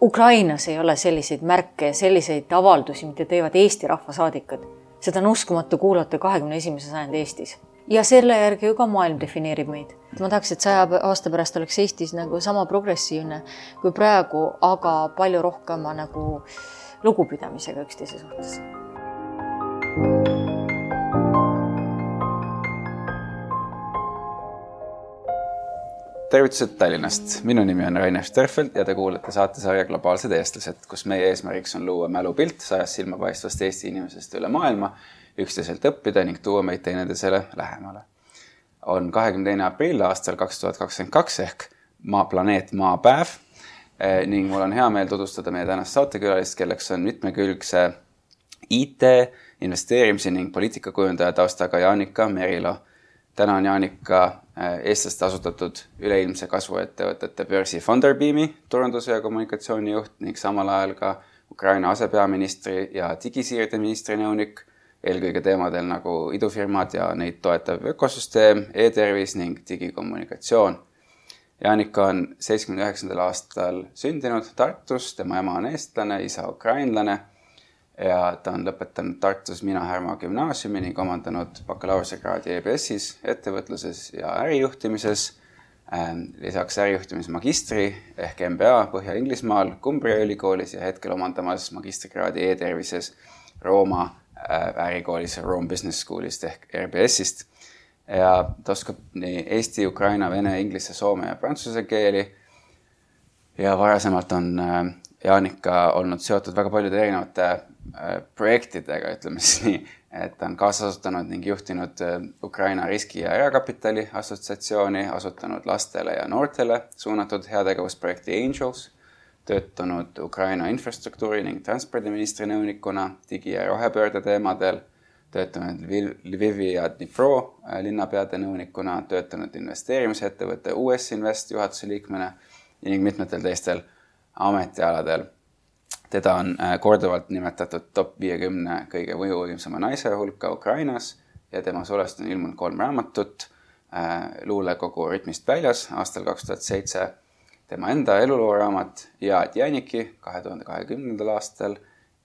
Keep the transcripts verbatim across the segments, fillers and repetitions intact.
Ukrainas ei ole selliseid märke ja selliseid avaldusi, mida teevad Eesti rahvasaadikud. Seda on uskumatu kuulata kahekümne esimese sajandi Eestis. Ja selle järgi ju ka maailm defineerib meid. Ma tahaks, et saja aasta pärast oleks Eestis nagu sama progressiivne kui praegu, aga palju rohkema nagu lugupidamisega üksteise suhtes. Tervitused Tallinnast. Minu nimi on Rainer Sterfeld ja te kuulete saatesarja Globaalsed eestlased, kus meie eesmärgiks on luua mälupilt sajast silmapaistvast Eesti inimesest üle maailma, üksteiselt õppida ning tuua meid teineteisele lähemale. On kahekümne teine aprill aastal kaks tuhat kakskümmend kaks ehk maa, planeet maapäev ning mul on hea meel tutvustada meie tänast saatekülalist, kelleks on mitmekülgse I T, investeerimise ning poliitikakujundaja taustaga Jaanika Merilo. Täna on Jaanika eestlaste asutatud üleilmse kasvuettevõtete börsi Funderbeami turunduse ja kommunikatsioonijuht ning samal ajal ka Ukraina asepeaministri ja digisiirde ministri nõunik, eelkõige teemadel nagu idufirmad ja neid toetav ökosüsteem, e-tervis ning digikommunikatsioon. Jaanika on seitsmekümne üheksandal aastal sündinud Tartus, tema ema on eestlane, isa ukrainlane ja ta on lõpetanud Tartus Mina Härma gümnaasiumi ning omandanud bakalaureusekraadi E B S-is, ettevõtluses ja ärijuhtimises. Lisaks ärijuhtimise magistri ehk M B A Põhja-Inglismaal Cumbria ülikoolis ja hetkel omandamas magistrikraadi e-tervises Rooma ärikoolis Rome Business Schoolist ehk R B S-ist. Ja ta oskab nii eesti, ukraina, vene, inglise, soome ja prantsuse keeli. Ja varasemalt on Jaanika olnud seotud väga paljude erinevate projektidega, ütleme siis nii, et ta on kaasasutanud ning juhtinud Ukraina riski- ja erakapitali assotsiatsiooni, asutanud lastele ja noortele suunatud heategevusprojekti Angels, töötanud Ukraina infrastruktuuri ning transpordiministri nõunikuna digi- ja rohepöörde teemadel, töötanud Lvivi ja Dnipro linnapeade nõunikuna, töötanud investeerimisettevõtte U S Invest juhatuse liikmena ning mitmetel teistel ametialadel. Teda on korduvalt nimetatud top viiekümne kõige mõjuvõimsama naise hulka Ukrainas ja tema sulest on ilmunud kolm raamatut. Luulekogu Rütmist väljas aastal kaks tuhat seitse, tema enda elulooraamat ja Jäniki kahe tuhande kahekümnendal aastal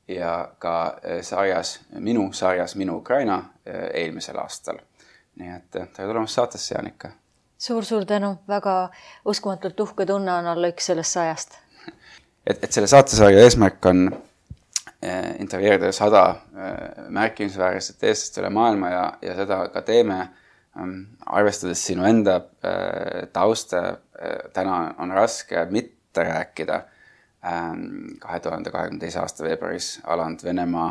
ja ka sarjas, minu sarjas Minu Ukraina eelmisel aastal. Nii et tere tulemast saatesse, Jaanika. Suur-suur tänu, väga uskumatult uhke tunne on olla üks sellest sajast. Et, et selle saatesarja eesmärk on intervjueerida sada märkimisväärset eestlast üle maailma ja, ja seda ka teeme, arvestades sinu enda tausta. Täna on raske mitte rääkida kahe tuhande kahekümne teise aasta veebruaris alanud Venemaa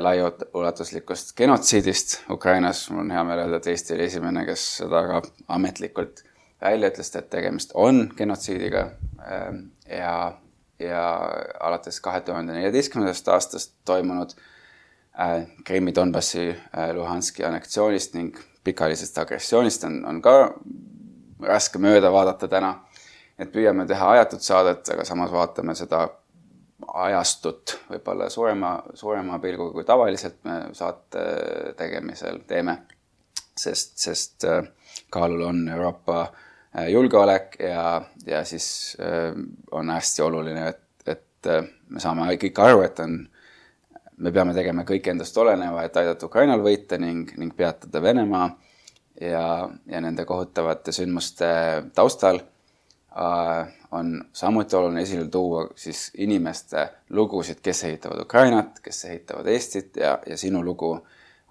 laiaulatuslikust genotsiidist Ukrainas. Mul on hea meel öelda, et Eesti oli esimene, kes seda ka ametlikult välja ütles, et tegemist on genotsiidiga ja, ja alates kahe tuhande neljateistkümnendast aastast toimunud Krimmi, Donbassi, Luhanski anneksioonist ning pikalisest agressioonist on, on ka raske mööda vaadata täna. Et püüame teha ajatud saadet, aga samas vaatame seda ajastut võib-olla suurema, suurema pilguga kui tavaliselt me saate tegemisel teeme, sest, sest kaalul on Euroopa julgeolek ja, ja siis on hästi oluline, et, et me saame kõik aru, et on, me peame tegema kõik endast oleneva, et aidata Ukrainal võita ning, ning peatada Venemaa ja, ja nende kohutavate sündmuste taustal on samuti oluline esile tuua siis inimeste lugusid, kes ehitavad Ukrainat, kes ehitavad Eestit ja, ja sinu lugu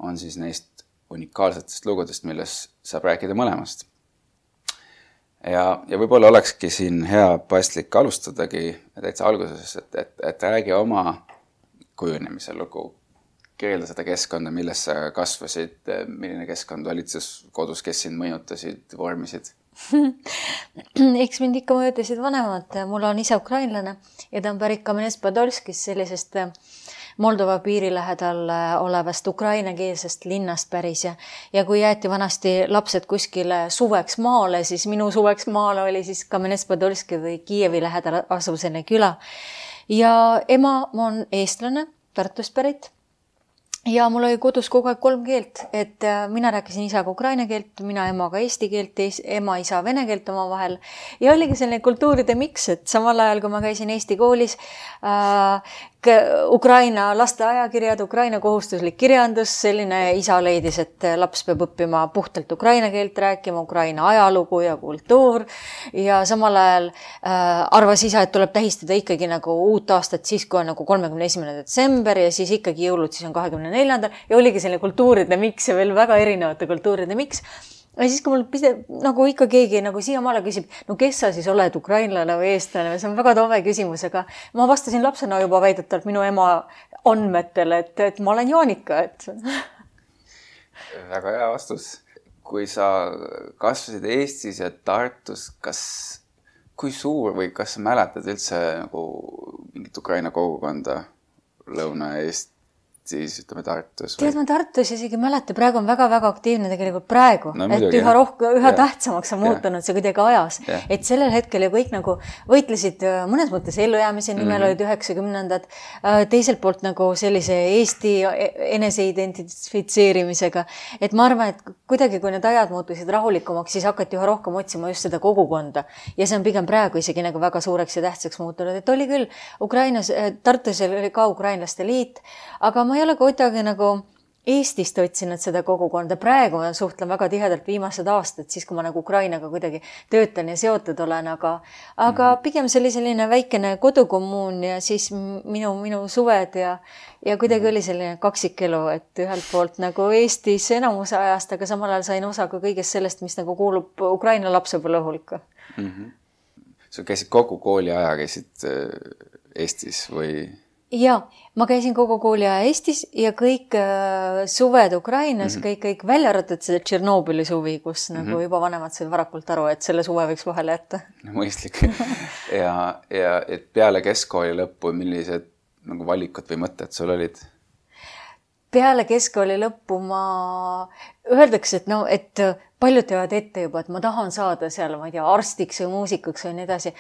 on siis neist unikaalsetest lugudest, milles saab rääkida mõlemast. Ja, ja võib-olla olekski siin hea paslik alustadagi täitsa alguses, et, et, et räägi oma kujunemise lugu. Kirjelda seda keskkonda, milles sa kasvasid, milline keskkond valitses kodus, kes sind mõjutasid, vormisid? Eks mind ikka mõjutasid vanemad. Mul on isa ukrainlane ja ta on pärit Kamenets-Podolskis sellisest Moldova piiri lähedal olevast ukrainakeelsest linnast päris ja, ja kui jäeti vanasti lapsed kuskile suveks maale, siis minu suveks maale oli siis Kamenets-Podolski või Kiievi lähedal asuvsene küla. Ja ema on eestlane, Tartust pärit ja mul oli kodus kogu aeg kolm keelt, et mina rääkisin isaga ukraina keelt, mina emaga eesti keelt, ema isa vene keelt omavahel ja oligi selline kultuuride miks, et samal ajal, kui ma käisin Eesti koolis, äh, Ukraina laste ajakirjad, Ukraina kohustuslik kirjandus, selline isa leidis, et laps peab õppima puhtalt ukraina keelt rääkima, Ukraina ajalugu ja kultuur ja samal ajal äh, arvas isa, et tuleb tähistada ikkagi nagu uut aastat siis, kui on nagu kolmekümne esimene detsember ja siis ikkagi jõulud siis on kahekümne neljandal ja oligi selline kultuuride miks ja veel väga erinevate kultuuride miks. Ja siis, kui mul pide, nagu ikka keegi nagu siiamaale küsib, no kes sa siis oled, ukrainlane või eestlane, see on väga tove küsimus, aga ma vastasin lapsena juba väidetavalt minu ema andmetele, et, et ma olen Jaanika, et... Väga hea vastus. Kui sa kasvasid Eestis ja Tartus, kas, kui suur või kas sa mäletad üldse nagu mingit Ukraina kogukonda Lõuna-Eest? Siis ütleme Tartus. Tead, ma Tartus isegi mäleta, praegu on väga-väga aktiivne tegelikult praegu, no, et muidugi, üha, rohkem, üha ja. tähtsamaks on muutunud ja. see kuidagi ajas. Ja. Et sellel hetkel ju kõik nagu võitlesid mõnes mõttes ellujäämise nimel mm-hmm. olid üheksakümnendad, teiselt poolt nagu sellise Eesti eneseidentifitseerimisega. Et ma arvan, et kuidagi, kui need ajad muutusid rahulikumaks, siis hakati üha rohkem otsima just seda kogukonda. Ja see on pigem praegu isegi nagu väga suureks ja tähtsaks muutunud. Et oli küll Ukrainas, Tartus oli ka ukrainlaste liit, aga ma ma ei ole kuidagi nagu Eestist otsinud seda kogukonda. Praegu ma suhtlen väga tihedalt viimased aastad, siis kui ma nagu Ukrainaga kuidagi töötan ja seotud olen, aga, aga pigem see oli selline väikene kodukommuun ja siis minu, minu suved ja, ja kuidagi oli selline kaksikelu, et ühelt poolt nagu Eestis enamuse ajast, aga samal ajal sain osa ka kõigest sellest, mis nagu kuulub Ukraina lapsepõlve hulka. Mm-hmm. Sa käisid kogu kooli aja, käisid Eestis või... Ja, ma käisin kogu kooli aja Eestis ja kõik äh, suved Ukrainas, mm-hmm. kõik, kõik välja arvatud seda Tšernobõli suvi, kus mm-hmm. nagu juba vanemad said varakult aru, et selle suve võiks vahele jätta. No, mõistlik. ja, ja et peale keskkooli lõppu, millised nagu valikud või mõtted sul olid? Peale keskkooli lõppu ma öeldakse, et no, et paljud teevad ette juba, et ma tahan saada seal, ma ei tea, arstiks või muusikuks või nii edasi.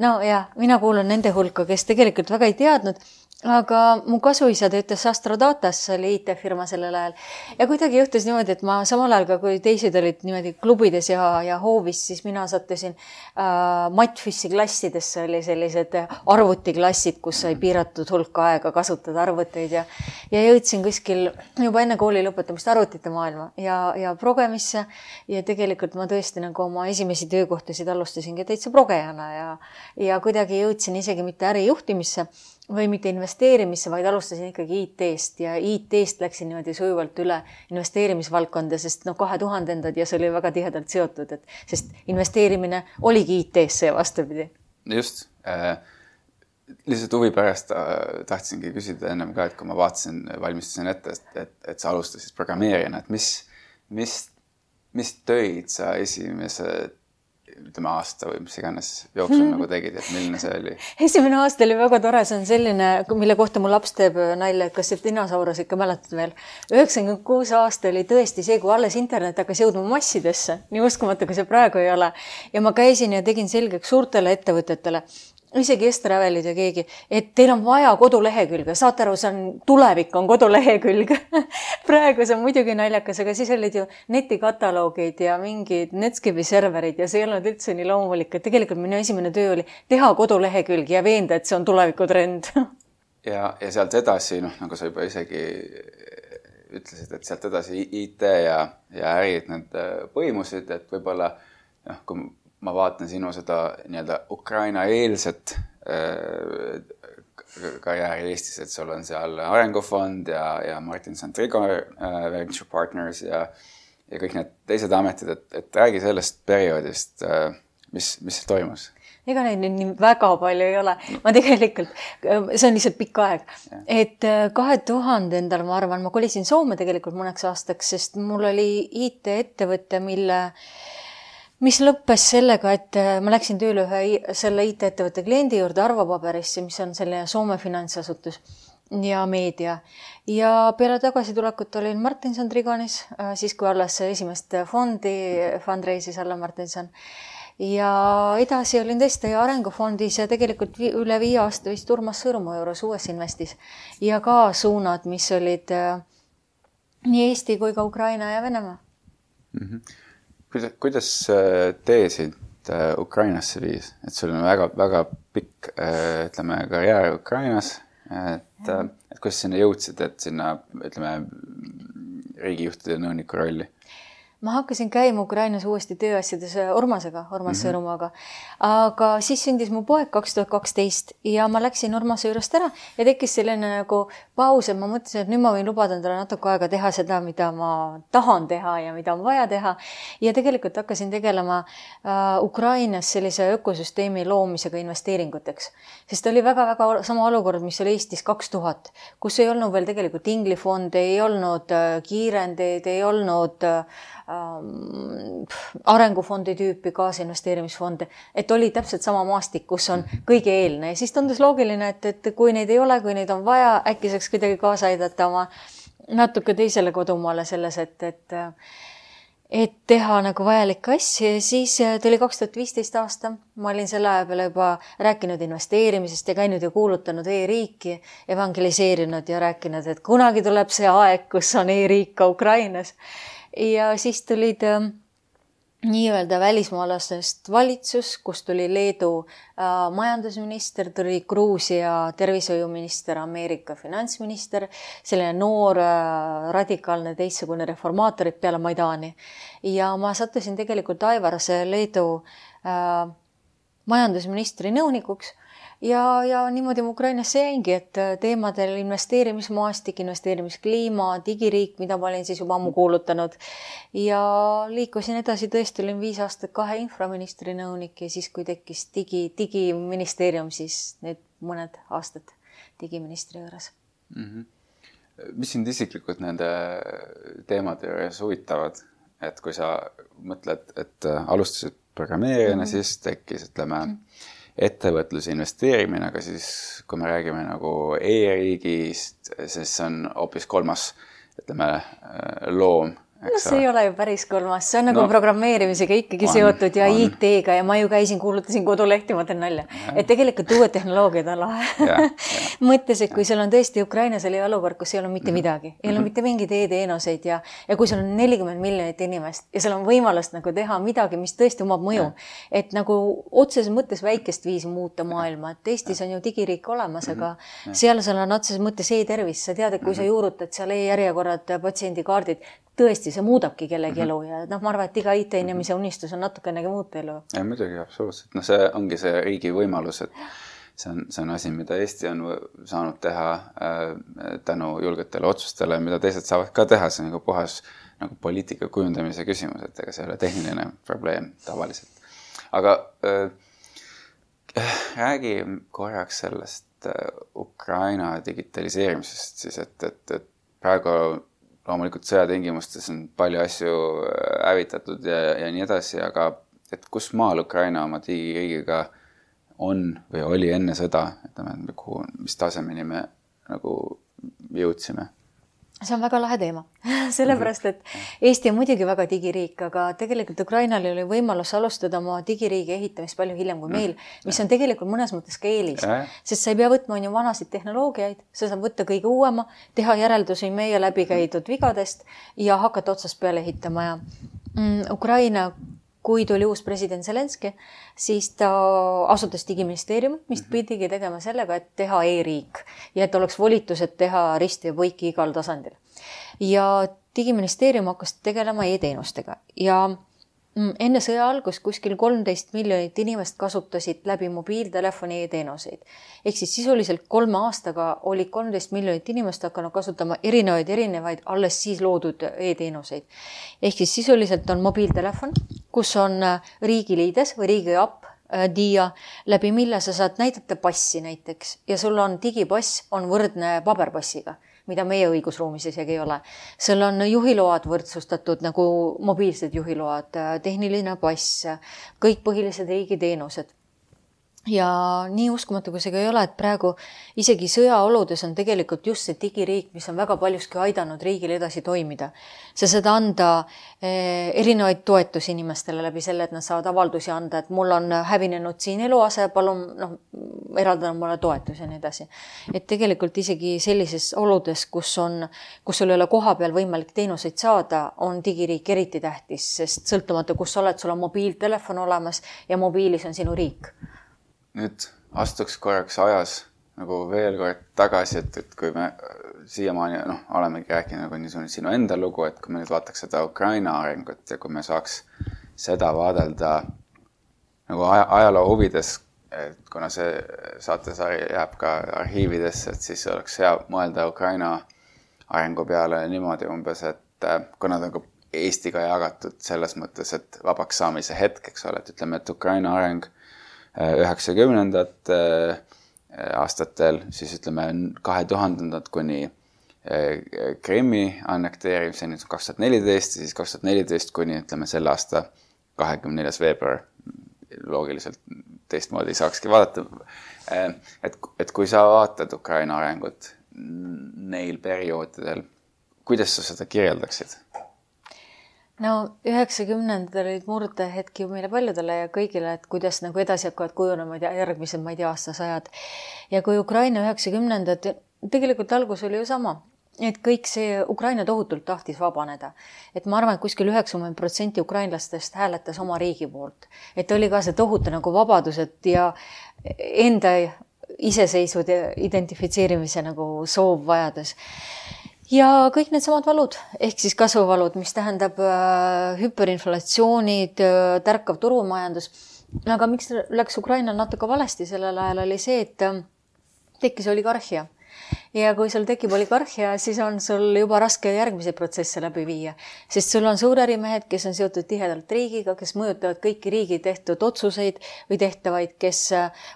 No ja, mina kuulun nende hulka, kes tegelikult väga ei teadnud, aga mu kasuisa töötas Astrodatas, oli I T-firma sellel ajal. Ja kuidagi juhtus niimoodi, et ma samal ajal, kui teised olid niimoodi klubides ja, ja hoovis, siis mina sattusin äh, Matfissi klassidesse, oli sellised arvutiklassid, kus sai piiratud hulka aega kasutada arvuteid ja, ja jõudsin kuskil juba enne kooli lõpetamist arvutite maailma ja, ja progemisse ja tegelikult ma tõesti nagu oma esimesi töökohtasid alustasingi täitsa progejana ja, ja kuidagi jõudsin isegi mitte ärijuhtimisse või mitte investeerimisse, vaid alustasin ikkagi I T-st ja I T-st läksin niimoodi sujuvalt üle investeerimisvaldkonda, sest no kahe tuhandendad ja see oli väga tihedalt seotud, et sest investeerimine oligi I T-sse ja vastupidi. Just. Äh, lihtsalt huvi pärast äh, tahtsingi küsida ennem ka, et kui ma vaatasin, valmistasin ette, et, et, et sa alustasid programmeerijana, et mis, mis, mis töid sa esimese ütleme aasta või mis iganes jooksul hmm. nagu tegid, et milline see oli? Esimene aasta oli väga tore, see on selline, mille kohta mu laps teeb nalja, et kas see dinosaurus ikka mäletad veel. üheksakümmend kuus aasta oli tõesti see, kui alles internet hakkas jõudma massidesse, nii uskumatu, kui see praegu ei ole. Ja ma käisin ja tegin selgeks suurtele ettevõtetele, isegi Estravelid ja keegi, et teil on vaja kodulehekülge, saate aru, see on tulevik, on kodulehekülg. Praegu see on muidugi naljakas, aga siis olid ju netikataloogid ja mingid Netscape'i serverid ja see ei olnud üldse nii loomulik, et tegelikult minu esimene töö oli teha kodulehekülg ja veenda, et see on tulevikutrend. ja, ja sealt edasi, noh, nagu sa juba isegi ütlesid, et sealt edasi I T ja, ja ärid need põimusid, et võib-olla, noh, kui ma vaatan sinu seda nii-öelda Ukraina-eelset äh, karjääri Eestis, et sul on seal Arengufond ja, ja Martin Santrigo äh, Venture Partners ja, ja kõik need teised ametid, et, et räägi sellest perioodist, äh, mis, mis toimus? Ega neid nüüd nii väga palju ei ole. Ma tegelikult, see on lihtsalt pikk aeg. Ja. Et kahe tuhandendal, ma arvan, ma kolisin Soome tegelikult mõneks aastaks, sest mul oli I T-ettevõtte, mille mis lõppes sellega, et ma läksin tööle ühe selle I T-ettevõtte kliendi juurde Arvopaberisse, mis on selline Soome finantsasutus ja meedia. Ja peale tagasitulekut olin Martinson Trigonis, siis kui alles esimest fondi fundraise'is alla Martinson. Ja edasi olin tõesti Arengufondis ja tegelikult üle viie aasta vist Urmas Sõõrumaa juures uues investis. Ja ka suunad, mis olid nii Eesti kui ka Ukraina ja Venemaa. Mm-hmm. Kuidas, kuidas tee sind Ukrainasse viis? Et sul on väga, väga pikk, ütleme, karjäär Ukrainas, et, et kuidas sinna jõudsid, et sinna, ütleme, riigijuhtide nõuniku rolli? Ma hakkasin käima Ukrainas uuesti tööasjades Urmasega, Urmas mm-hmm. Sõõrumaga. Aga siis sündis mu poeg kaks tuhat kaksteist ja ma läksin Urmase juurest ära ja tekkis selline nagu paus, et ma mõtlesin, et nüüd ma võin lubada endale natuke aega teha seda, mida ma tahan teha ja mida on vaja teha. Ja tegelikult hakkasin tegelema uh, Ukrainas sellise ökosüsteemi loomisega investeeringuteks. Sest oli väga-väga sama olukord, mis oli Eestis kaks tuhat, kus ei olnud veel tegelikult inglifonde, ei olnud uh, kiirendeid, ei olnud uh, arengufondi tüüpi kaasinvesteerimisfonde, et oli täpselt sama maastik, kus on kõige eelne. Ja siis tundus loogiline, et, et kui neid ei ole, kui neid on vaja, äkki saaks kuidagi kaasa aidata oma natuke teisele kodumaale selles, et, et, et teha nagu vajalikke asju. Ja siis tuli kaks tuhat viisteist aasta. Ma olin selle aja peale juba rääkinud investeerimisest ja käinud ja kuulutanud e-riiki, evangeliseerinud ja rääkinud, et kunagi tuleb see aeg, kus on e-riik ka Ukrainas. Ja siis tulid äh, nii-öelda välismaalastest valitsus, kus tuli Leedu äh, majandusminister, tuli Gruusia tervishoiuminister, Ameerika finantsminister, selline noor, äh, radikaalne, teistsugune reformaatorid peale Maidani. Ja ma sattusin tegelikult Aivarase Leedu äh, majandusministri nõunikuks. Ja, ja niimoodi ma Ukrainasse jäingi, et teemadel investeerimismaastik, investeerimiskliima, digiriik, mida ma olin siis juba ammu kuulutanud. Ja liikusin edasi, tõesti olin viis aastat kahe infraministri nõunik ja siis, kui tekkis digi, digiministeerium, siis nüüd mõned aastad digiministri juures. Mm-hmm. Mis sind isiklikult nende teemade juures huvitavad? Et kui sa mõtled, et alustasid programmeerijana, mm-hmm. siis tekkis, ütleme, mm-hmm. ettevõtluse investeerimine, aga siis kui me räägime nagu e-riigist, siis on hoopis kolmas, ütleme, loom. No see ei ole ju päris kolmas, see on nagu no, programmeerimisega ikkagi on, seotud ja on. I T-ga ja ma ju käisin, kuulutasin kodulehti, ma teen nalja. Ja. Et tegelikult uued tehnoloogiad on lahe. Mõttes, et kui seal on tõesti Ukrainas oli olukord, kus ei ole mitte midagi, ei ole mitte mingid e-teenuseid ja, ja kui seal on nelikümmend miljonit inimest ja seal on võimalust nagu teha midagi, mis tõesti omab mõju, et nagu otseses mõttes väikest viisi muuta maailma, et Eestis on ju digiriik olemas, aga seal seal on otseses mõttes e-tervis, sa tead, et kui sa juurutad seal e-järjekorrad, patsiendikaardid, tõesti, see muudabki kellegi elu ja noh, ma arvan, et iga I T-inimese unistus on natukenegi muuta elu. Ja muidugi, absoluutselt. No see ongi see riigi võimalus, et see on, see on asi, mida Eesti on saanud teha äh, tänu julgetele otsustele, mida teised saavad ka teha. See on nagu puhas nagu poliitika kujundamise küsimus, et ega see ei ole tehniline probleem tavaliselt. Aga äh, räägi korraks sellest äh, Ukraina digitaliseerimisest siis, et, et, et praegu loomulikult sõjatingimustes on palju asju hävitatud ja, ja nii edasi, aga et kus maal Ukraina oma digiriigiga on või oli enne sõda, et kuhu, mis tasemeni me nagu jõudsime? See on väga lahe teema, sellepärast, et Eesti on muidugi väga digiriik, aga tegelikult Ukrainal oli võimalus alustada oma digiriigi ehitamist palju hiljem kui meil, mis on tegelikult mõnes mõttes ka eelis, sest sa ei pea võtma on ju vanasid tehnoloogiaid, sa saad võtta kõige uuema, teha järeldusi meie läbi käidud vigadest ja hakata otsast peale ehitama ja mm, Ukraina kui tuli uus president Zelenski, siis ta asutas digiministeeriumi, mis pidigi tegema sellega, et teha e-riik ja et oleks volitused teha risti ja põiki igal tasandil. Ja digiministeerium hakkas tegelema e-teenustega ja enne sõja algust kuskil kolmteist miljonit inimest kasutasid läbi mobiiltelefoni e-teenuseid. Ehk siis sisuliselt kolme aastaga oli kolmteist miljonit inimest hakanud kasutama erinevaid, erinevaid alles siis loodud e-teenuseid. Ehk siis sisuliselt on mobiiltelefon, kus on riigiliides või riigi app, D I A, läbi mille sa saad näidata passi näiteks ja sul on digipass on võrdne paberpassiga, mida meie õigusruumis isegi ei ole. Seal on juhiload võrdsustatud nagu mobiilsed juhiload, tehniline pass, kõik põhilised riigiteenused. Ja nii uskumatu, kui see ka ei ole, et praegu isegi sõjaoludes on tegelikult just see digiriik, mis on väga paljuski aidanud riigil edasi toimida. Sa saad anda erinevaid toetusi inimestele läbi selle, et nad saavad avaldusi anda, et mul on hävinenud siin eluase, palun, noh, eraldada mulle toetus ja nii edasi. Et tegelikult isegi sellises oludes, kus on, kus sul ei ole koha peal võimalik teenuseid saada, on digiriik eriti tähtis, sest sõltumata, kus sa oled, sul on mobiiltelefon olemas ja mobiilis on sinu riik. Nüüd astuks korraks ajas nagu veel kord tagasi, et, et kui me siiamaani noh, olemegi rääkinud nagu niisugune sinu enda lugu, et kui me nüüd vaataks seda Ukraina arengut ja kui me saaks seda vaadelda nagu ajaloo huvides, et kuna see saatesari jääb ka arhiividesse, et siis oleks hea mõelda Ukraina arengu peale niimoodi umbes, et kuna ta on Eestiga jagatud selles mõttes, et vabaks saamise hetk, eks ole, et ütleme, et Ukraina areng üheksakümnendad aastatel, siis ütleme kahe tuhandendad kuni Krimmi annekteerimiseni kaks tuhat neliteist, siis kaks tuhat neliteist kuni ütleme selle aasta kahekümne neljas veebruar, loogiliselt teistmoodi saakski vaadata. Et, et kui sa vaatad Ukraina arengut neil perioodidel, kuidas sa seda kirjeldaksid? No üheksakümnendad olid murdehetki ju meile paljudele ja kõigile, et kuidas nagu edasi hakkavad kujunema järgmised, ma ei tea, aastasajad. Ja kui Ukraina üheksakümnendad, tegelikult algus oli ju sama. Et kõik see Ukraina tohutult tahtis vabaneda. Et ma arvan, et kuskil üheksakümmend protsenti ukrainlastest hääletas oma riigi poolt. Et oli ka see tohutu nagu vabadused ja enda iseseisvud identifitseerimise nagu soov vajadus. Ja kõik need samad valud, ehk siis kasvuvalud, mis tähendab äh, hüperinflatsioonid, äh, tärkav turumajandus. Aga miks läks Ukrainal natuke valesti sellel ajal oli see, et äh, tekkis oligarhia. Ja kui sul tekib oligarhia, siis on sul juba raske järgmise protsesse läbi viia. Sest sul on suurärimehed, kes on seotud tihedalt riigiga, kes mõjutavad kõiki riigi tehtud otsuseid või tehtavaid, kes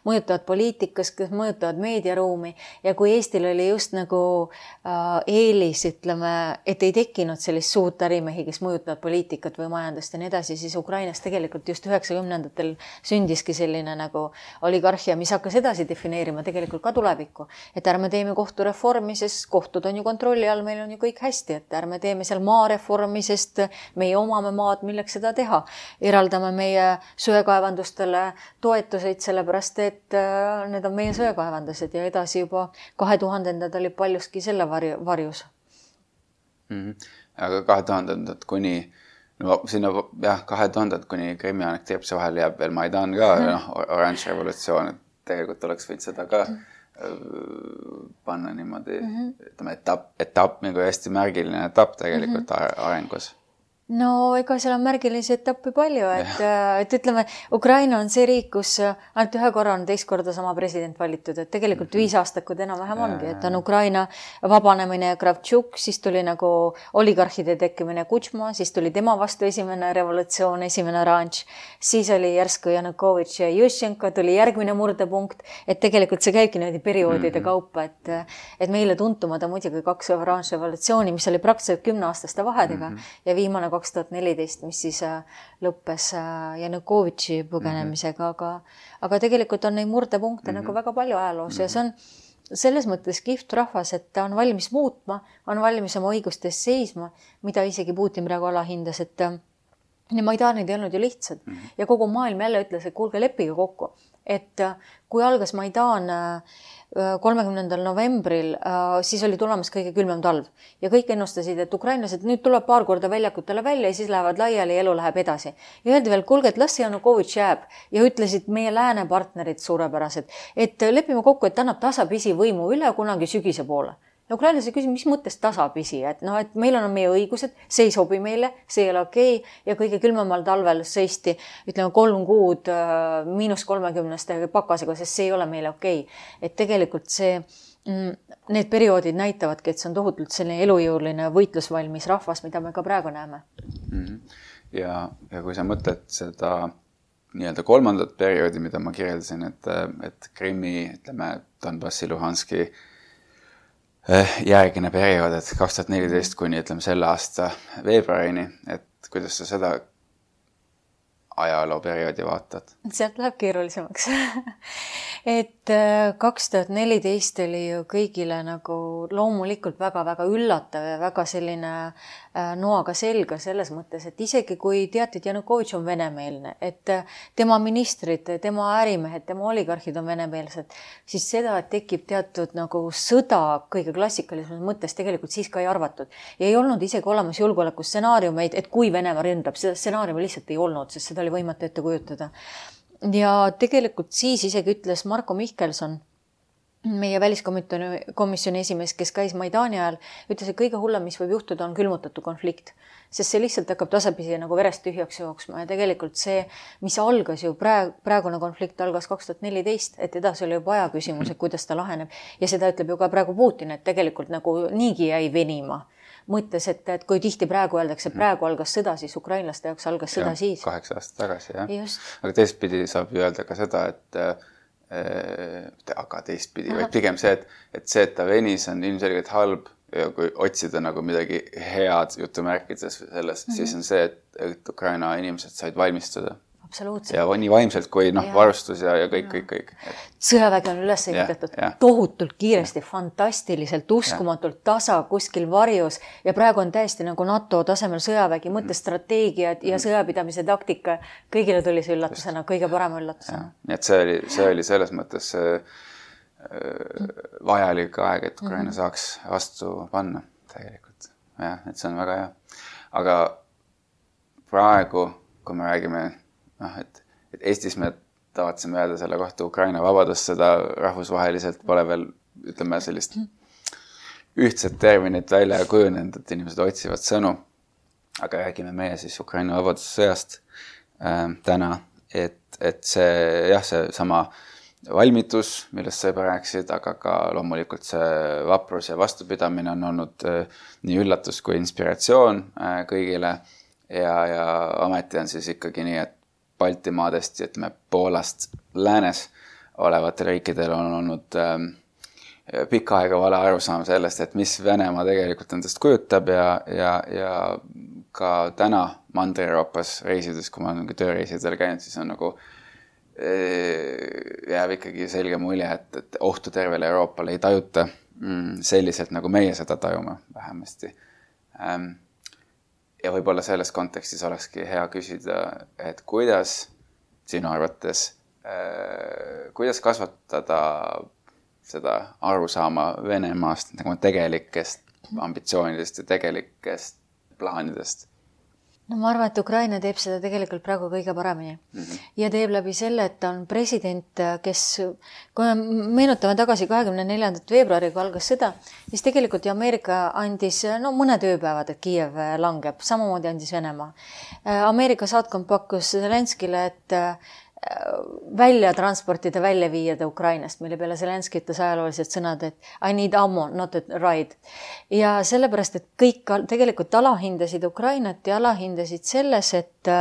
mõjutavad poliitikas, kes mõjutavad meediaruumi. Ja kui Eestil oli just nagu äh, eelis, ütleme, et ei tekkinud sellist suurt ärimehi, kes mõjutavad poliitikat või majandust ja nii edasi, siis Ukrainas tegelikult just üheksakümnendatel sündiski selline nagu oligarhia, mis hakkas edasi defineerima tegelikult ka tulevikku. Et ärme teeme kohtureformi, sest kohtud on ju kontrolli all, meil on ju kõik hästi, et ärme teeme seal maareformi, sest meie omame maad, milleks seda teha. Eraldame meie söekaevandustele toetuseid sellepärast, et need on meie söekaevandused ja edasi juba kahe tuhandendad oli paljuski selle varjus. Mm-hmm. Aga kahe tuhandendad kuni, no sinna jah, kahe tuhandendad kuni Krimmi annekteerimise vahel jääb veel Maidan ka, mm-hmm. no, oranž revolutsioon, et tegelikult oleks võid seda ka mm-hmm. panna niimoodi, mm-hmm. ütleme, etapp, etapp, nagu hästi märgiline etapp tegelikult mm-hmm. arengus. No ega seal on märgilisi etappi palju, et, et ütleme, Ukraina on see riik, kus ainult ühe korra on teist korda sama president valitud, et tegelikult mm-hmm. viis aastakud enam-vähem ongi, et on Ukraina vabanemine Kravtšuk, siis tuli nagu oligarhide tekkimine Kutšma, siis tuli tema vastu esimene revolutsioon, esimene oranž, siis oli järsku Janukovitš ja Juščenko, tuli järgmine murdepunkt, et tegelikult see käibki niimoodi perioodide mm-hmm. kaupa, et, et meile tuntumad on muidugi kaks oranž revolutsiooni, mis oli praktiliselt kümne aastaste vahedega mm-hmm. ja viimane kaks tuhat neliteist, mis siis lõppes Janukovitši põgenemisega, aga, aga tegelikult on neid murdepunkte mm-hmm. nagu väga palju ajaloos mm-hmm. ja see on selles mõttes kihvt rahvas, et ta on valmis muutma, on valmis oma õigustes seisma, mida isegi Putin praegu alahindas, et ja Maidanid ei olnud ju lihtsad mm-hmm. ja kogu maailm jälle ütles, et kuulge, leppige kokku, et kui algas Maidan kolmekümnendal novembril, siis oli tulemas kõige külmem talv ja kõik ennustasid, et ukrainlased nüüd tuleb paar korda väljakutele välja ja siis lähevad laiali ja elu läheb edasi. Ja öeldi veel, kuulge, et las Janukovitš jääb ja ütlesid meie lääne partnerid suurepärased, et lepime kokku, et annab tasapisi võimu üle kunagi sügise poole. Ja ukrainlased küsisid, mis mõttes tasapisi, et, no, et meil on meie õigused, see ei sobi meile, see ei ole okei ja kõige külmemal talvel seisti, ütleme, kolm kuud miinus kolmekümneste pakasega, sest see ei ole meile okei. Et tegelikult see, need perioodid näitavadki, et see on tohutult selline elujõuline võitlusvalmis rahvas, mida me ka praegu näeme. Ja, ja kui sa mõtled seda nii-öelda kolmandat perioodi, mida ma kirjeldasin, et, et Krimmi, ütleme, Donbassi, Luhanski järgine periood, et kaks tuhat neliteist kuni ütleme selle aasta veebruarini, et kuidas sa seda ajalooperioodi vaatad? Sealt läheb keerulisemaks. et kaks tuhat neliteist oli ju kõigile nagu loomulikult väga-väga üllatav ja väga selline noaga selga selles mõttes, et isegi kui teati, et Janukovitš on venemeelne, et tema ministrid, tema ärimehed, tema oligarhid on venemeelsed, siis seda, et tekib teatud nagu sõda kõige klassikalisemas mõttes tegelikult siis ka ei arvatud. Ja ei olnud isegi olemas julgeolekustsenaariumeid, et kui Venemaa ründab, seda stsenaariumi lihtsalt ei olnud, sest seda oli võimatu ette kujutada. Ja tegelikult siis isegi ütles Marko Mihkelson, meie väliskomisjoni esimees, kes käis Maidani ajal, ütles, et kõige hullem, mis võib juhtuda, on külmutatu konflikt, sest see lihtsalt hakkab tasapisi nagu verest tühjaks jooksma ja tegelikult see, mis algas ju praegu, praegune konflikt algas kaks tuhat neliteist, et edasi oli juba aja küsimus, et kuidas ta laheneb ja seda ütleb ju ka praegu Putin, et tegelikult nagu niigi jäi venima. Mõttes, et, et kui tihti praegu öeldakse, et praegu algas sõda, siis ukrainlaste jaoks algas sõda ja, siis. Kaheksa aastat tagasi, jah. Just. Aga teistpidi saab ju öelda ka seda, et aga teistpidi, vaid pigem see, et, et see, et ta venis on ilmselgelt halb ja kui otsida nagu midagi head jutumärkides selles, mm-hmm. siis on see, et, et Ukraina inimesed said valmistuda. Absoluutselt. Ja nii vaimselt kui noh, ja. varustus ja, ja kõik, kõik, kõik. Et... Sõjavägi on üles ehitatud tohutult kiiresti, ja. Fantastiliselt, uskumatult ja. Tasa kuskil varjus ja praegu on täiesti nagu NATO tasemel sõjavägi, mõttestrateegiad ja sõjapidamise taktika. Kõigile tuli see üllatusena, kõige parem üllatusena. Nii et see oli, see oli selles mõttes see, vajalik aeg, et Ukraina mm-hmm. saaks vastu panna tegelikult. Ja, et see on väga hea. Aga praegu, kui me räägime noh, et, et Eestis me tavatseme öelda selle kohta Ukraina vabadust, seda rahvusvaheliselt pole veel, ütleme, sellist ühtset terminit välja kujunenud, et inimesed otsivad sõnu. Aga räägime meie siis Ukraina vabadussõjast äh, täna, et, et see, jah, see sama valmitus, millest sa juba rääksid, aga ka loomulikult see vaprus ja vastupidamine on olnud äh, nii üllatus kui inspiratsioon äh, kõigile ja, ja ameti on siis ikkagi nii, et Baltimaadest ja ütleme Poolast läänes olevatel riikidel on olnud ähm, pikka aega vale arusaam sellest, et mis Venemaa tegelikult endast kujutab ja, ja, ja ka täna Mandri-Euroopas reisides, kui ma olen tööreisidel käinud, siis on nagu äh, jääb ikkagi selge mulje, et, et ohtu tervele Euroopale ei tajuta mm, selliselt, nagu meie seda tajume vähemasti. Ähm, Ja võib-olla selles kontekstis olekski hea küsida, et kuidas sinu arvates, äh, kuidas kasvatada seda arusaama Venemaast nagu tegelikest ambitsioonidest ja tegelikest plaanidest? No ma arvan, et Ukraina teeb seda tegelikult praegu kõige paremini. Mm-hmm. Ja teeb läbi selle, et ta on president, kes, kui me meenutame tagasi kahekümne neljandat veebruari, kui algas sõda, siis tegelikult ju Ameerika andis no, mõned ööpäevad, et Kiiev langeb. Samamoodi andis Venemaa. Ameerika saatkond pakkus Zelenskile, et välja transportida, välja viiada Ukrainast, mille peale Zelenski ütles ajaloolised sõnad, et I need ammo, not a ride. Ja sellepärast, et kõik tegelikult alahindasid Ukrainat ja alahindasid selles, et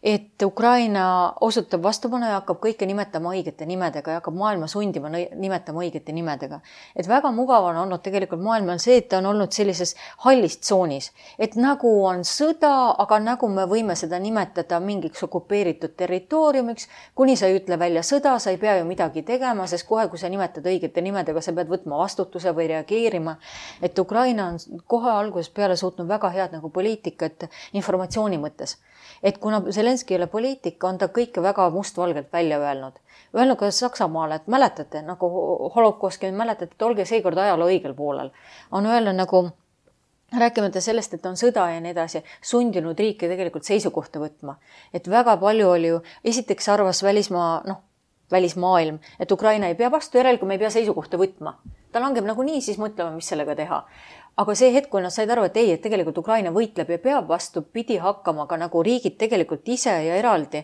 et Ukraina osutab vastupanu ja hakkab kõike nimetama õigete nimedega ja hakkab maailma sundima nimetama õigete nimedega. Et väga mugav on olnud tegelikult maailmal see, et ta on olnud sellises hallis tsoonis. Et nagu on sõda, aga nagu me võime seda nimetada mingiks okupeeritud territooriumiks, kuni sa ei ütle välja sõda, sa ei pea ju midagi tegema, sest kohe, kui sa nimetad õigete nimedega, sa pead võtma vastutuse või reageerima. Et Ukraina on kohe alguses peale suutnud väga head nagu poliitikat informatsiooni mõttes. Et kuna Zelenski ei ole poliitika, on ta kõike väga mustvalgelt välja öelnud. Öelnud ka Saksamaale, et mäletate, nagu holokauski mäletate, et olge seekord ajaloo õigel poolel. On öelnud nagu, rääkimata sellest, et on sõda ja nii edasi, sundinud riike tegelikult seisukohta võtma. Et väga palju oli ju, esiteks arvas välismaa, noh, välismaailm, et Ukraina ei pea vastu, järel, kui me ei pea seisukohta võtma. Ta langeb nagu nii, siis mõtlema, mis sellega teha. Aga see hetk, kui nad said aru, et ei, et tegelikult Ukraina võitleb ja peab vastu pidi hakkama ka nagu riigid tegelikult ise ja eraldi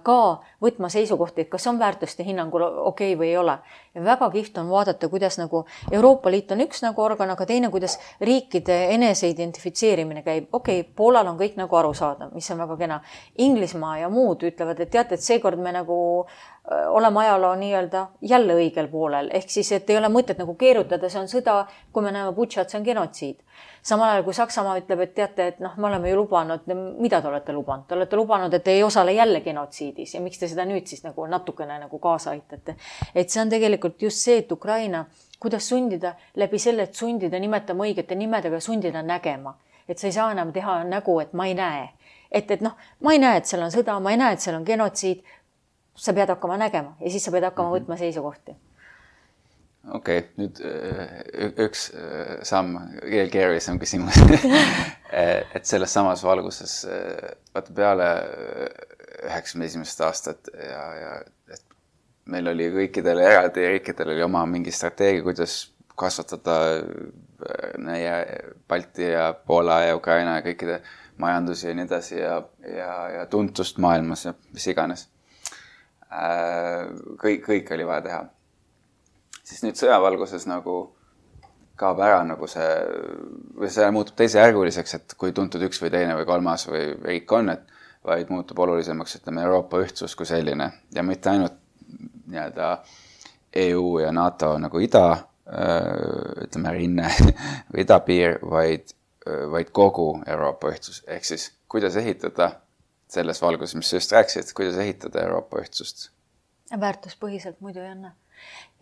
ka võtma seisukohti, et kas on väärtuste hinnangul okei või ei ole. Ja väga kihvt on vaadata, kuidas nagu Euroopa Liit on üks nagu organ, aga teine, kuidas riikide enese identifitseerimine käib. Okei, Poolal on kõik nagu aru saada, mis on väga kena. Inglismaa ja muud ütlevad, et teate, et seekord me nagu olema ajaloo nii-öelda jälle õigel poolel. Ehk siis, et ei ole mõtet nagu keerutada, see on sõda, kui me näeme Butšat, see on genotsiid. Samal ajal, kui Saksamaa ütleb, et teate, et noh, me oleme ju lubanud, mida te olete lubanud? Te olete lubanud, et ei osale jälle genotsiidis ja miks te seda nüüd siis nagu natukene nagu kaasa aitate. Et see on tegelikult just see, et Ukraina, kuidas sundida läbi selle, et sundida nimetama õigete nimedega, sundida nägema. Et sa ei saa enam teha nägu, et ma ei näe. Et, et noh, ma ei näe, et seal on sõda, ma ei näe, et seal on genotsiid. Sa pead hakkama nägema ja siis sa pead hakkama võtma seisukohti. Okei, okay, nüüd üks samm, keerulisem küsimus. Et selles samas valguses vaata peale üheksakümne esimest aastat ja, ja et meil oli kõikidel eraldi riikidel oli oma mingi strateegia, kuidas kasvatada meie Balti ja Poola ja Ukraina ja kõikide majandusi ja nii edasi ja, ja, ja tuntust maailmas ja mis iganes. Kõik, kõik oli vaja teha. Siis nüüd sõjavalguses nagu kaob ära nagu see, või see muutub teise järguliseks, et kui tuntud üks või teine või kolmas või riik on, et vaid muutub olulisemaks, ütleme, Euroopa ühtsus kui selline. Ja mitte ainult nii-öelda E U ja NATO nagu ida, ütleme, rinne või idapiir, vaid, vaid kogu Euroopa ühtsus. Ehk siis, kuidas ehitada selles valguses, mis just rääksid, kuidas ehitada Euroopa ühtsust? Väärtuspõhiselt muidu ei anna.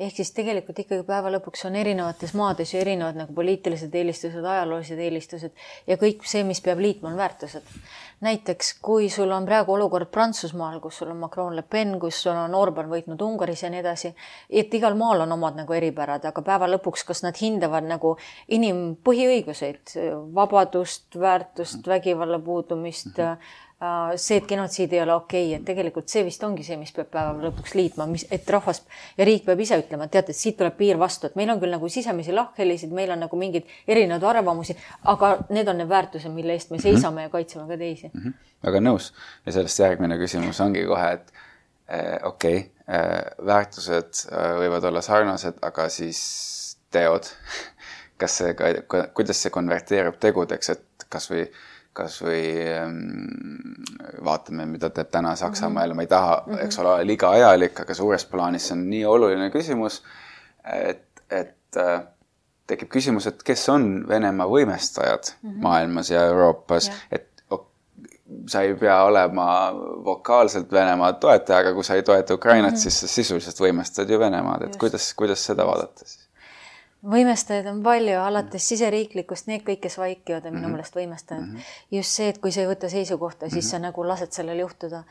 Ehk siis tegelikult ikkagi päeva lõpuks on erinevates maades ja erinevad nagu poliitilised eelistused, ajaloolised eelistused ja kõik see, mis peab liitma, on väärtused. Näiteks, kui sul on praegu olukord Prantsusmaal, kus sul on Macron Le Pen, kus sul on Orban võitnud Ungaris ja nii edasi, et igal maal on omad nagu eripärad, aga päeva lõpuks, kas nad hindavad nagu inimpõhiõiguseid, vabadust, väärtust, vägivalla puudumist, mm-hmm. see, et genotsiid ei ole okei, et tegelikult see vist ongi see, mis peab päeva lõpuks liitma, mis, et rahvas ja riik peab ise ütlema, et teate, et siit tuleb piir vastu, et meil on küll nagu sisemisi lahkhelisid, meil on nagu mingid erinevad arvamusi, aga need on need väärtused, mille eest me seisame ja kaitseme ka teisi. Mm-hmm. Väga nõus. Ja sellest järgmine küsimus ongi kohe, et eh, okei, okay, eh, väärtused eh, võivad olla sarnased, aga siis teod. Kas see, kuidas see konverteerub tegudeks, et kas või kas või vaatame, mida teeb täna Saksamaa, ma ei taha, eks ole, liiga ajalik, aga suures plaanis on nii oluline küsimus, et, et tekib küsimus, et kes on Venemaa võimestajad mm-hmm. maailmas ja Euroopas, ja. Et sa ei pea olema vokaalselt Venemaa toetaja, aga kui sa ei toeta Ukrainat, mm-hmm. siis sa sisuliselt võimestad ju Venemaad, et kuidas, kuidas seda vaadata siis? Võimestajaid on palju, alates siseriiklikust, need kõik, kes vaikivad, on minu mm-hmm. meelest võimestajad. Mm-hmm. Just see, et kui sa ei võta seisukohta, siis mm-hmm. sa nagu lased sellel juhtuda.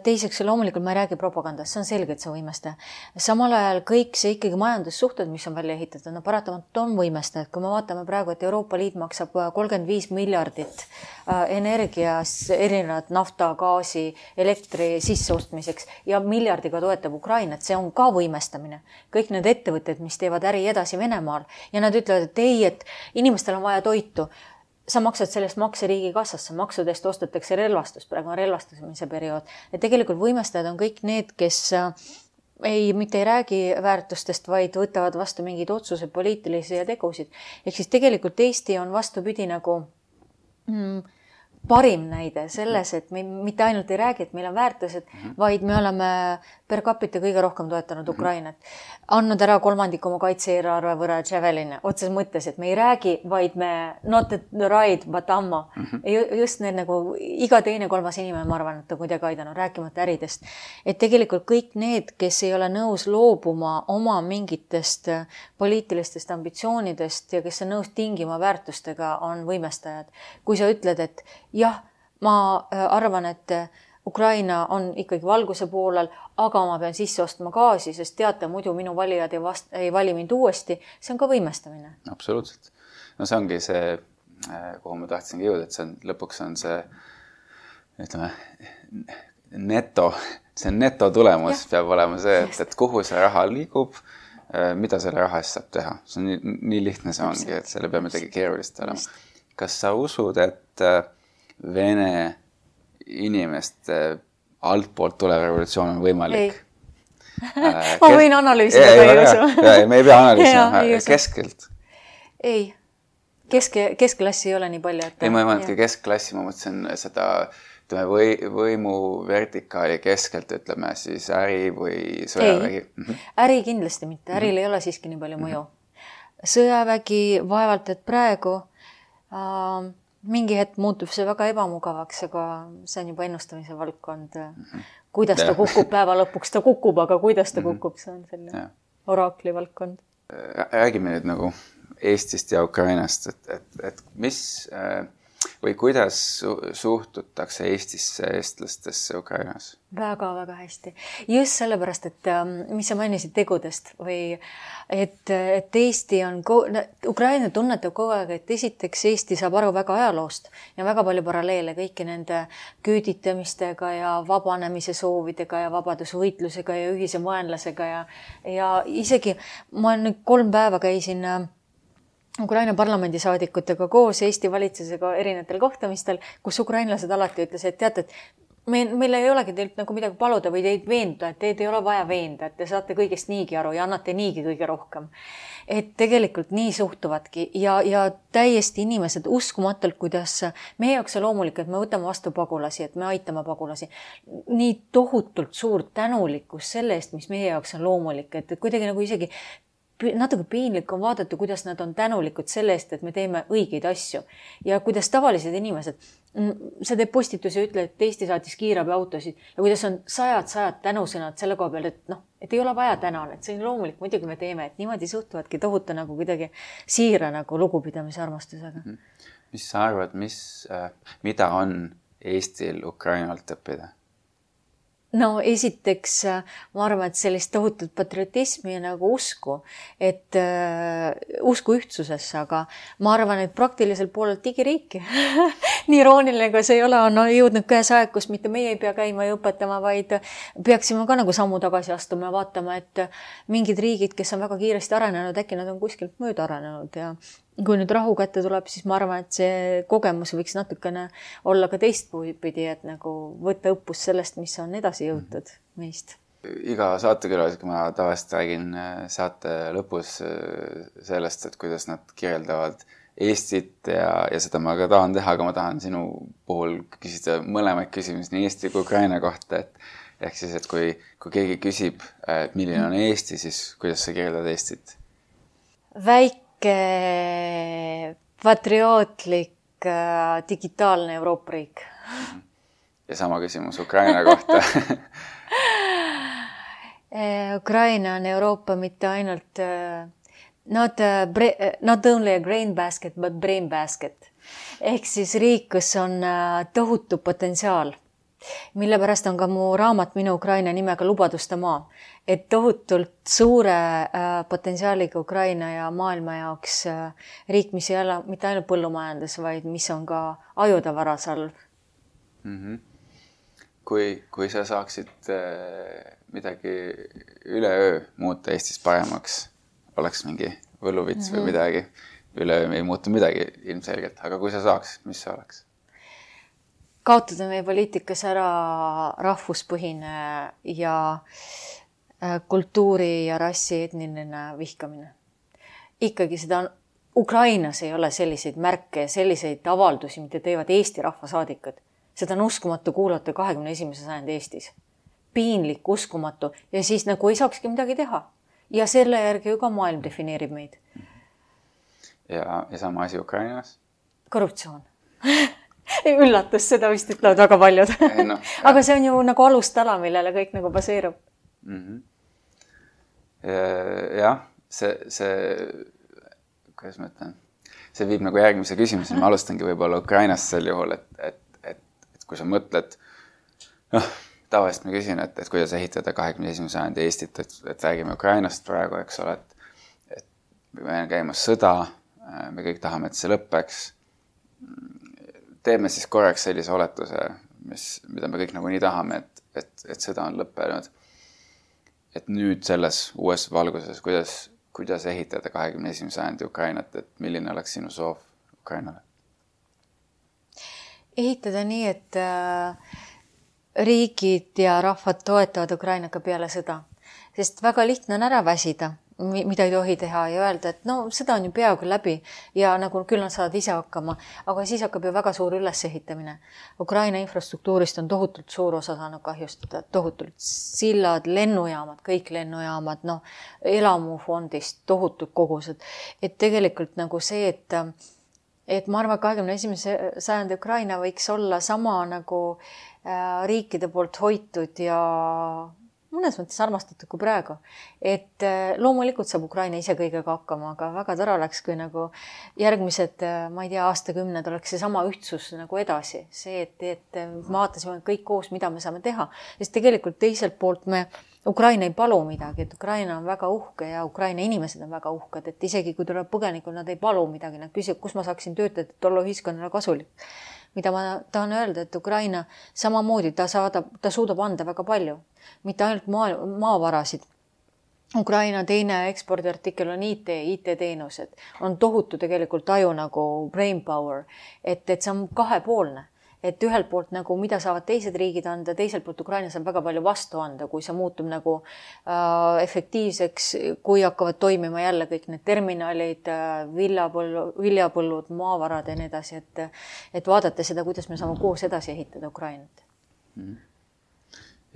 Teiseks, loomulikult ma ei räägi propagandast, see on selge, et see on võimestaja. Samal ajal kõik see ikkagi majandussuhted, mis on välja ehitatud, no paratamatult on võimestajad. Kui me vaatame praegu, et Euroopa Liit maksab kolmkümmend viis miljardit energias, erinevad nafta, gaasi, elektri sisseostmiseks ja miljardiga toetab Ukrainat, see on ka võimestamine. Kõik need ettevõtted, mis teevad äri edasi Venemaal ja nad ütlevad, et ei, et inimestel on vaja toitu. Sa maksad sellest makse riigi kassasse, maksudest ostetakse relvastust, praegu on relvastamise periood. Ja tegelikult võimestajad on kõik need, kes ei, mitte ei räägi väärtustest, vaid võtavad vastu mingid otsused, poliitilisi ja tegusid. Ehk siis tegelikult Eesti on vastupidi nagu mm, parim näide selles, et me mitte ainult ei räägi, et meil on väärtused, mm-hmm. vaid me oleme per capita kõige rohkem toetanud mm-hmm. Ukrainat. Andnud ära kolmandik oma kaitse-eelarve võrra Javeline. Otses mõttes, et me ei räägi, vaid me not the right, but ammo. Mm-hmm. Just need nagu iga teine kolmas inimene, ma arvan, et on kuidagi aidanud, rääkimata äridest. Et tegelikult kõik need, kes ei ole nõus loobuma oma mingitest poliitilistest ambitsioonidest ja kes on nõus tingima väärtustega, on võimestajad. Kui sa ütled, et jah, ma arvan, et Ukraina on ikkagi valguse poolel, aga ma pean sisse ostma gaasi, sest teate, muidu minu valijad ei, vast, ei vali mind uuesti. See on ka võimestamine. Absoluutselt. No see ongi see, kuhu ma tahtsingi jõuda, et see on, lõpuks on see, ütleme, neto, see neto tulemus ja. Peab olema see, et, et kuhu see raha liigub, mida selle raha eest saab teha. See on nii, nii lihtne see ongi, et selle peab midagi keerulist olema. Kas sa usud, et Vene inimeste altpoolt tulev revolutsioon on võimalik? Ei. Ma võin analüüsida, aga ei usu. Me ei pea analüüsima. Keskelt? Ei. Keske, keskklassi ei ole nii palju. Et... Ei, ma ei mõelnud ka keskklassi, ma mõtlesin seda ütleme või, võimu vertikaali keskelt, ütleme siis äri või sõjavägi? Ei, äri kindlasti mitte, äril mm-hmm. ei ole siiski nii palju mõju. Sõjavägi vaevalt, et praegu äh, mingi hetk muutub see väga ebamugavaks, aga see on juba ennustamise valdkond. Mm-hmm. Kuidas ta kukub päeva lõpuks, ta kukub, aga kuidas ta kukub, see on selline ja. Oraakli valdkond. Räägime nüüd nagu Eestist ja Ukrainast, et, et, et mis või kuidas suhtutakse Eestisse, eestlastesse Ukrainas? Väga, väga hästi. Just sellepärast, et mis sa mainisid tegudest või et, et Eesti on, Ukraina tunnetab kogu aeg, et esiteks Eesti saab aru väga ajaloost ja väga palju paralleele kõiki nende küüditamistega ja vabanemise soovidega ja vabadusvõitlusega ja ühise vaenlasega ja, ja isegi ma nüüd kolm päeva käisin Ukraina parlamendisaadikutega koos Eesti valitsusega erinevatel kohtumistel, kus ukrainlased alati ütles, et teate, et meil, meil ei olegi teilt nagu midagi paluda või teid veenda, et teid ei ole vaja veenda, et te saate kõigest niigi aru ja annate niigi kõige rohkem. Et tegelikult nii suhtuvadki ja, ja täiesti inimesed uskumatult, kuidas meie jaoks on loomulik, et me võtame vastu pagulasi, et me aitame pagulasi. Nii tohutult suur tänulikkus selle eest, mis meie jaoks on loomulik, et kuidagi nagu isegi natuke piinlik on vaadata, kuidas nad on tänulikud selle eest, et me teeme õigeid asju. Ja kuidas tavalised inimesed, see teeb postitusi ja ütle, et Eesti saatis kiirabi autosid ja kuidas on sajad, sajad tänusõnad selle koha peal, et noh, et ei ole vaja tänan, et see on loomulik, muidugi me teeme, et niimoodi suhtuvadki tohuta nagu kuidagi siira nagu lugupidamise armastusega. Mis sa arvad, mis, mida on Eestil Ukrainalt õppida? No esiteks ma arvan, et sellist tohutut patriotismi ja nagu usku, et uh, usku ühtsusesse, aga ma arvan, et praktiliselt poolelt digiriiki. Nii irooniline, kui see ei ole, on jõudnud käes aeg, kus mitte meie ei pea käima ja õpetama, vaid peaksime ka nagu sammu tagasi astuma ja vaatama, et mingid riigid, kes on väga kiiresti arenenud, äkki nad on kuskilt mööda arenenud ja kui nüüd rahu kätte tuleb, siis ma arvan, et see kogemus võiks natukene olla ka teistpidi, et nagu võtta õppus sellest, mis on edasi jõutud meist. Iga saatekülalisega ma tavaliselt räägin saate lõpus sellest, et kuidas nad kirjeldavad Eestit ja, ja seda ma ka tahan teha, aga ma tahan sinu puhul küsida mõlemaid küsimusi nii Eesti kui Ukraina kohta, et ehk siis, et kui, kui keegi küsib, et milline on Eesti, siis kuidas sa kirjeldad Eestit? Väike patriootlik digitaalne Euroopa riik. Ja sama küsimus Ukraina kohta. Ukraina on Euroopa mitte ainult not, not only a grain basket, but brain basket. Ehk siis riik, kus on tohutu potentsiaal, mille pärast on ka mu raamat Minu Ukraina nimega Lubaduste maa. Et tohutult suure äh, potentsiaaliga Ukraina ja maailma jaoks äh, riik, mis ei ole mitte ainult põllumajandus, vaid mis on ka ajutavarasalv. Mm-hmm. Kui, kui sa saaksid äh, midagi üleöö muuta Eestis paremaks, oleks mingi võluvits mm-hmm. või midagi, üleöö ei muutu midagi ilmselgelt, aga kui sa saaks, mis see oleks? Kaotada meie poliitikas ära rahvuspõhine ja kultuuri ja rassi etniline vihkamine. Ikkagi seda on, Ukrainas ei ole selliseid märke ja selliseid avaldusi, mida teevad Eesti rahvasaadikud. Seda on uskumatu kuulata kahekümne esimese sajandi Eestis. Piinlik, uskumatu ja siis nagu ei saakski midagi teha. Ja selle järgi ju ka maailm defineerib meid. Ja, ja sama asi Ukrainas? Korruptsioon. Üllatus, seda vist ütlevad väga paljud. Ei, no, aga see on ju nagu alustala, millele kõik nagu baseerub. Mm-hmm. Jah, see, see, kuidas ma ütlen, see viib nagu järgmise küsimuse. Ma alustangi võib-olla Ukrainast sel juhul, et, et, et, et kui sa mõtled, noh, tavaliselt ma küsin, et, et kuidas ehitada kahekümne esimese sajandi Eestit, et, et räägime Ukrainast praegu, eks ole, et, et me on käimas sõda, me kõik tahame, et see lõppeks. Teeme siis korraks sellise oletuse, mis, mida me kõik nagu nii tahame, et, et, et sõda on lõppenud. Et nüüd selles uues valguses, kuidas, kuidas ehitada kahekümne esimese sajandi Ukrainat, et milline oleks sinu soov Ukrainale? Ehitada nii, et riigid ja rahvad toetavad Ukrainaga peale sõda. Sest väga lihtne on ära väsida mida ei tohi teha ja öelda, et no seda on ju peaaegu läbi ja nagu küll nad saavad ise hakkama, aga siis hakkab ju väga suur ülesehitamine. Ukraina infrastruktuurist on tohutult suur osa saanud kahjustada, tohutult sillad, lennujaamad, kõik lennujaamad, noh, elamufondist tohutud kogused. Et tegelikult nagu see, et, et ma arvan, kahekümne esimese sajandi Ukraina võiks olla sama nagu äh, riikide poolt hoitud ja mõnes mõttes armastatud kui praegu. Et loomulikult saab Ukraina ise kõigega hakkama, aga väga tore oleks, kui nagu järgmised, ma ei tea, aastakümned oleks see sama ühtsus nagu edasi. See, et, et vaatasime kõik koos, mida me saame teha. Sest tegelikult teiselt poolt me Ukraina ei palu midagi, et Ukraina on väga uhke ja Ukraina inimesed on väga uhked, et isegi kui tuleb põgenikul, nad ei palu midagi, nad küsivad, kus ma saaksin töötada, et olla ühiskonnale kasulik. Mida ma tahan öelda, et Ukraina samamoodi ta, saadab, ta suudab anda väga palju, mitte ainult maa, maavarasid. Ukraina teine ekspordiartikkel on I T, I T-teenused, on tohutu tegelikult aju nagu brain power, et, et see on kahepoolne. Et ühelt poolt nagu mida saavad teised riigid anda, teiselt poolt Ukraina saab väga palju vastu anda, kui see muutub nagu äh, efektiivseks, kui hakkavad toimima jälle kõik need terminalid, äh, viljapõllu, viljapõllud, maavarad ja nii edasi, et, et vaadata seda, kuidas me saame koos edasi ehitada Ukrainat.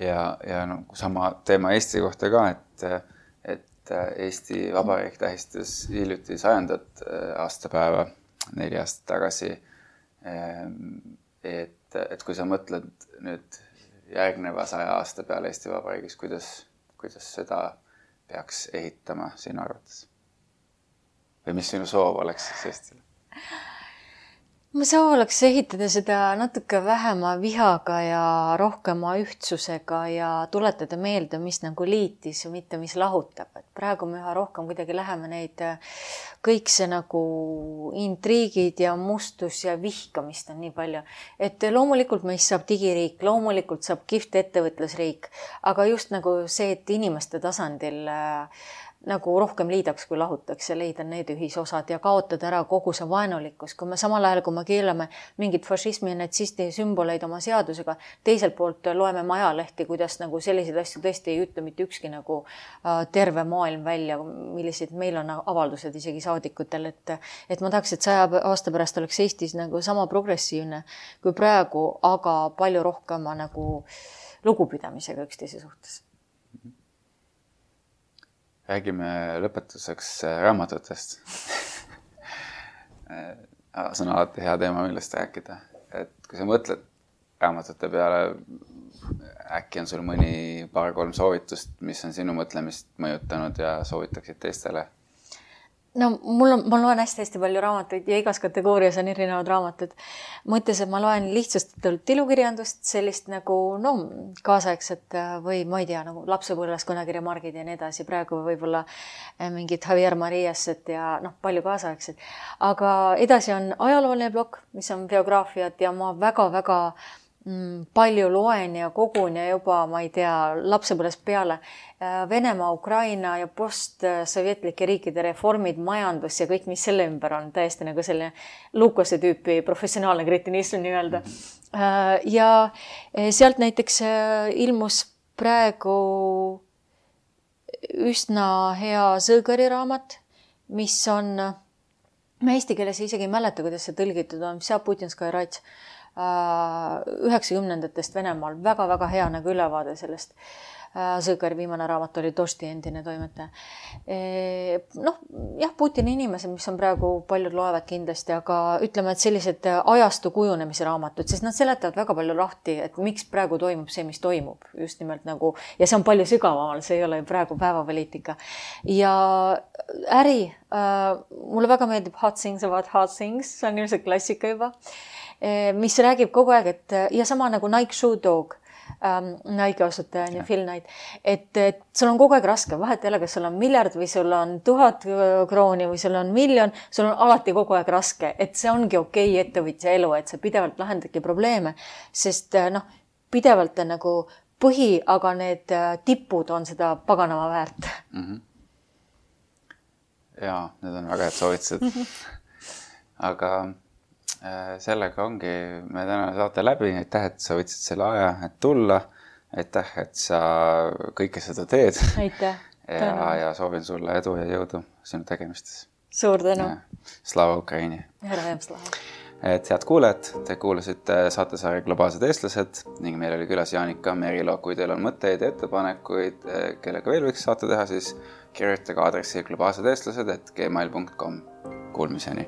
Ja, ja no, sama teema Eesti kohta ka, et, et Eesti Vabariik tähistas hiljuti sajandat aastapäeva neli aastat tagasi. Et, et kui sa mõtled nüüd järgneva saja aasta peale Eesti Vabariigis, kuidas, kuidas seda peaks ehitama sinu arvates? Või mis sinu soov oleks siis Eestile? Ma soov oleks ehitada seda natuke vähema vihaga ja rohkema ühtsusega ja tuletada meelde, mis nagu liitis, mitte mis lahutab. Et praegu me üha rohkem kuidagi läheme neid kõik see nagu intriigid ja mustus ja vihkamist on nii palju. Et loomulikult meist saab digiriik, loomulikult saab kihvt ettevõtlusriik, aga just nagu see, et inimeste tasandil nagu rohkem liidaks, kui lahutaks ja leida need ühisosad ja kaotada ära kogu see vaenulikkus. Kui me samal ajal, kui me keelame mingit fašismi ja natsisti sümboleid oma seadusega, teiselt poolt loeme majalehti, kuidas nagu selliseid asju tõesti ei ütle mitte ükski nagu terve maailm välja, millised meil on avaldused isegi saadikutel, et, et ma tahaks, et saja aasta pärast oleks Eestis nagu sama progressiivne kui praegu, aga palju rohkema nagu lugupidamisega üksteise suhtes. Räägime lõpetuseks raamatutest. See on alati hea teema, millest rääkida. Et kui sa mõtled raamatute peale, äkki on sul mõni paar-kolm soovitust, mis on sinu mõtlemist mõjutanud ja soovitaksid teistele? No mul on, ma loen hästi-hästi palju raamatuid ja igas kategoorias on erinevad raamatud. Mõttes, et ma loen lihtsustatult ilukirjandust, sellist nagu no, kaasaegset või ma ei tea, nagu lapsepõlves kõnekirja margid ja nii edasi. Praegu võib-olla mingid Javier Mariaset ja noh, palju kaasaegset. Aga edasi on ajalooline blokk, mis on biograafiat ja ma väga-väga palju loen ja kogun ja juba, ma ei tea, lapsepõlvest peale Venemaa, Ukraina ja postsovjetlike riikide reformid, majandus ja kõik, mis selle ümber on täiesti nagu selle Lukase tüüpi professionaalne kretinism nii-öelda. Ja sealt näiteks ilmus praegu üsna hea Sõõgari raamat, mis on, ma eesti keeles isegi ei mäleta, kuidas see tõlgitud on, Vся Putinskaya Rats üheksakümnendatest Venemaal. Väga-väga hea nagu ülevaade sellest. Sõõgari viimane raamat oli Dosti endine toimetaja. Noh, jah, Putini inimesed, mis on praegu paljud loevad kindlasti, aga ütleme, et sellised ajastu kujunemise raamatud, sest nad seletavad väga palju lahti, et miks praegu toimub see, mis toimub. Just nimelt nagu, ja see on palju sügavamal, see ei ole praegu päevapoliitika. Ja äri, mulle väga meeldib Hot Things About Hot Things, see on ilmselt klassika juba, mis räägib kogu aeg, et ja sama nagu Nike Shoe Dog, ähm, Nike asutaja ja Phil Knight, et, et sul on kogu aeg raske, vahet jälle, kas sul on miljard või sul on tuhat krooni või sul on miljon, sul on alati kogu aeg raske, et see ongi okei ettevõtja elu, et sa pidevalt lahendadki probleeme, sest noh, pidevalt on nagu põhi, aga need tipud on seda paganama väärt. Mm-hmm. Jaa, need on väga head soovitused. Aga sellega ongi me täna saate läbi. Aitäh, et sa võtsid selle aja, et tulla. Aitäh, et sa kõike seda teed. Aitäh. ja, ja soovin sulle edu ja jõudu sinu tegemistes. Suur tänu. Slava Ukraini. Herrajem slava. Et head kuulajad, te kuulasite saatesarja Globaalsed eestlased ning meil oli külas Jaanika Merilo. Kui teil on mõtteid ja ettepanekuid, kellega veel võiks saate teha, siis kirjutage aadressi globaalsed eestlased et gmail punkt com. Kuulmiseni!